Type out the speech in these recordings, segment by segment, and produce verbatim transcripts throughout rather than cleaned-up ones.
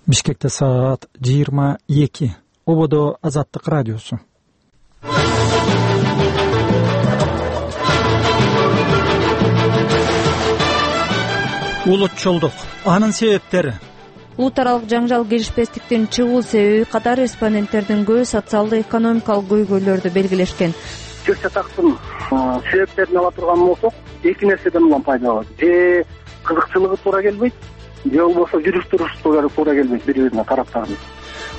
Бишкекте саат жыйырма эки. Ободо Азаттык радиосу. Улутчулдук, анын себептери. Улут аралык жаңжал келишпестиктин чыгуу себеби катары респонденттердин көбү социалдык-экономикалык көйгөйлөрдү белгилешкен. Чыр чатактын себептерин ала турган болсок, эки нерседен улам пайда болот. Же кызыкчылыгы туура келбейт, же болбосо жүрүш-турушу туура келбейт бири-бирине тараптардын.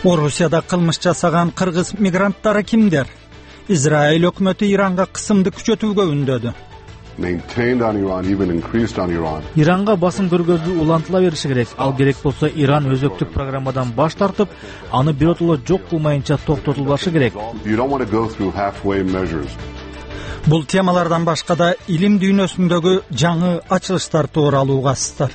Орусияда кылмыш жасаган кыргыз мигранттары кимдер? Израиль өкмөтү Иранга кысымды күчөтүүгө үндөдү. Иранга басым көргөзүү улантыла бериши керек. Ал керек болсо Иран өзөктүк программадан баш тартып, аны биротоло жок кылмайынча токтотулбашы керек. Бул темалардан башка да илим дүйнөсүндөгү жаңы ачылыштар тууралуу укасыздар.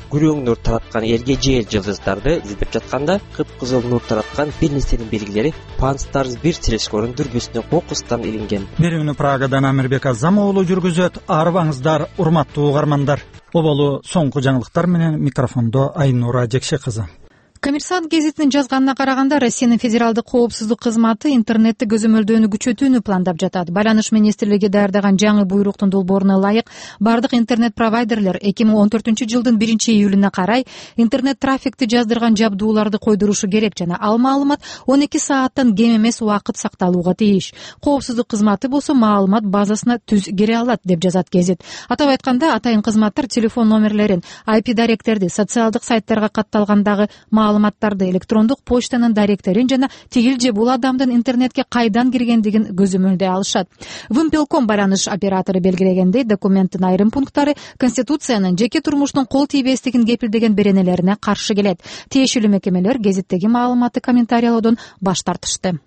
Күрөң нур тараткан элге жeel жылдыздарды издеп жатканда кыпкызыл нур тараткан бир нерсенин белгилери Пан-Старс бир телескорунун дүрбүсүнө кокустан илинген. Берүүнү Прагадан Амирбек Азам уулу жүргүзөт. Арыбаңыздар, урматтуу угармандар. Оболу соңку жаңылыктар менен микрофондо Айнура Жекше кызы. Коммерсант гезитинин жазганына караганда, Россиянын федералдык коопсуздук кызматы интернетти көзөмөлдөөнү күчөтүүнү пландап жатат. Байланыш министрлиги даярдаган жаңы буйруктун долбооруна ылайык, бардык интернет провайдерлер эки миң он төртүнчү жылдын биринчи июлуна карай интернет трафикти жаздырган жабдууларды койдурушу керек жана ал маалымат он эки сааттан кем эмес убакыт сакталууга тийиш. Коопсуздук кызматы болсо маалымат базасына түз кире алат, деп жазат гезит. Атап айтканда, атайын кызматтар телефон номерлерин, ай пи даректерди, социалдык сайттарга катталгандагы маалыматтарды, электрондук почтанын даректерин жана тигил же бул адамдын интернетке кайдан киргендигин көзөмөлдөй алышат. Вымпелком байланыш оператору белгилегендей, документтин айрым пункттары Конституциянын жеке турмуштун кол тийбестигин кепилдеген беренелерине каршы келет. Тиешелүү мекемелер гезиттеги маалыматты комментариялоодон баш тартышты.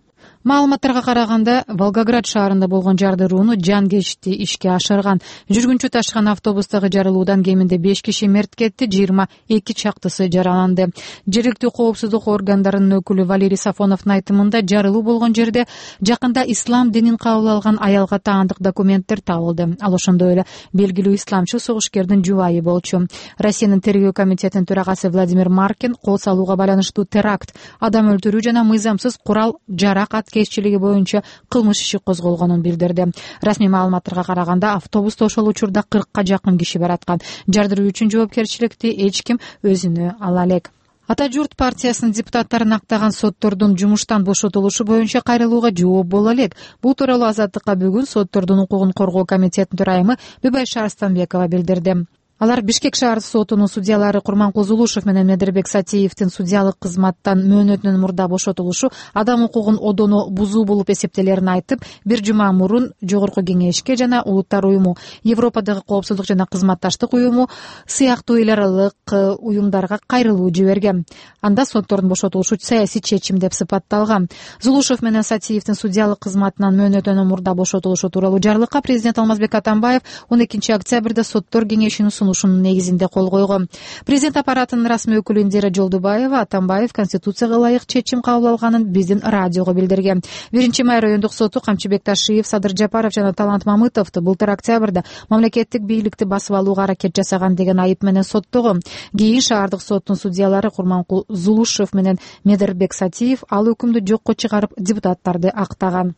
Маалыматтарга караганда, Волгоград шаарында болгон жардырууну жан кечти ишке ашырган. Жүргүнчү ташыган автобустагы жарылуудан кеминде беш киши мерт кетти, жыйырма эки чактысы жараланды. Жергиликтүү коопсуздук органдарынын өкүлү Валерий Сафоновдун айтымында, жарылуу болгон жерде жакында ислам динин кабыл алган аялга таандык документтер табылды. Ал ошондой эле белгилүү исламчыл согушкердин жубайы болчу. Россиянын тергөө комитетинин төрагасы Владимир Маркин кол салууга байланыштуу теракт, адам өлтүрүү жана мыйзамсыз курал жарак аткезчилиги боюнча кылмыш иши козголгонун билдирди. Расмий маалыматтарга караганда, автобуста ошол учурда кыркка жакын киши бараткан. Жардыруу үчүн жоопкерчиликти эч ким өзүнө ала элек. Ата журт партиясынын депутаттарын актаган соттордун жумуштан бошотулушу боюнча кайрылууга жооп боло элек. Бул тууралуу Азаттыкка бүгүн соттордун укугун коргоо комитетинин төрайымы Бибайша Арстанбекова билдирди. Алар Бишкек шаар сотунун судьялары Курманкул Зулушев менен Медербек Сатиевдин судьялык кызматтан мөөнөтүнөн мурда бошотулушу адам укугун одоно бузуу болуп эсептелерин айтып, бир жума мурун Жогорку кеңешке жана Улуттар уюму, Европадагы коопсуздук жана кызматташтык уюму сыяктуу эл аралык уюмдарга кайрылуу жиберген. Анда соттордун бошотулушу саясий чечим деп сыпатталган. Зулушев менен Сатиевдин судьялык кызматынан мөөнөтүнөн мурда бошотулушу тууралуу жарлыкка президент Алмазбек Атамбаев он экинчи октябрда соттор кеңешинин ушунун негизинде кол койгон. Президент аппаратынын расмий өкүлү Индира Жолдубаева Атамбаев Конституцияга ылайык чечим кабыл алганын биздин радиого билдирген. биринчи май райондук соту Камчыбек Ташиев, Садыр Жапаров жана Талант Мамытовду былтыр октябрда мамлекеттик бийликти басып алууга аракет жасаган деген айып менен соттогон. Кийин шаардык соттун судьялары Курманкул Зулушев менен Медербек Сатиев ал өкүмдү жокко чыгарып депутаттарды актаган.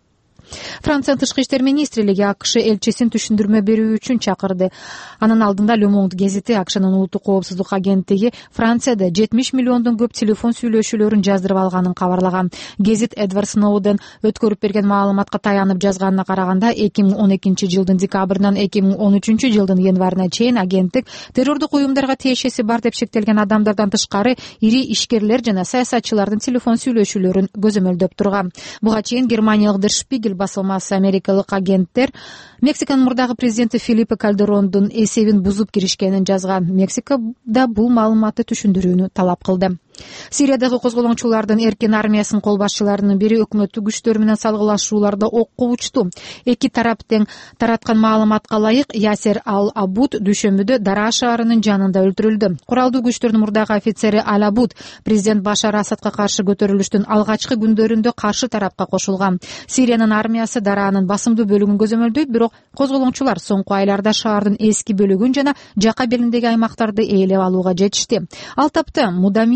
Франциянын тышкы иштер министрлиги АКШ элчисин түшүндүрмө берүү үчүн чакырды. Анын алдында Le Monde гезити АКШнын улуттук коопсуздук агенттиги Францияда жетимиш миллиондон көп телефон сүйлөшүүлөрүн жаздырып алганын кабарлаган. Гезит Эдвард Сноуден өткөрүп берген маалыматка таянып жазганына караганда, эки миң он экинчи жылдын декабрынан эки миң он үчүнчү жылдын январына чейин агенттик террордук уюмдарга тиешеси бар деп шектелген адамдардан тышкары ири ишкерлер жана саясатчылардын телефон сүйлөшүүлөрүн көзөмөлдөп турган. Буга чейин германиялык Der Spiegel басылмасы америкалык агенттер Мексиканын мурдагы президенти Фелипе Кальдерондун эсебин бузуп киришкенин жазган. Мексика да бул маалыматты түшүндүрүүнү талап кылды. Сириядагы козголоңчулардын эркин армиясынын кол башчыларынын бири өкмөттүк күчтөр менен салгылашууларда окко учту. Эки тарап тең тараткан маалыматка ылайык Ясер Ал-Абуд дүйшөмбүдө Дара шаарынын жанында өлтүрүлдү. Куралдуу күчтөрдүн мурдагы офицери Ал-Абуд президент Башар Асадка каршы көтөрүлүштүн алгачкы күндөрүндө каршы тарапка кошулган. Сириянын армиясы Даранын басымдуу бөлүгүн көзөмөлдөйт, бирок козголоңчулар соңку айларда шаардын эски бөлүгүн жана жака белиндеги аймактарды ээлеп алууга жетишти. Ал тапта Мудами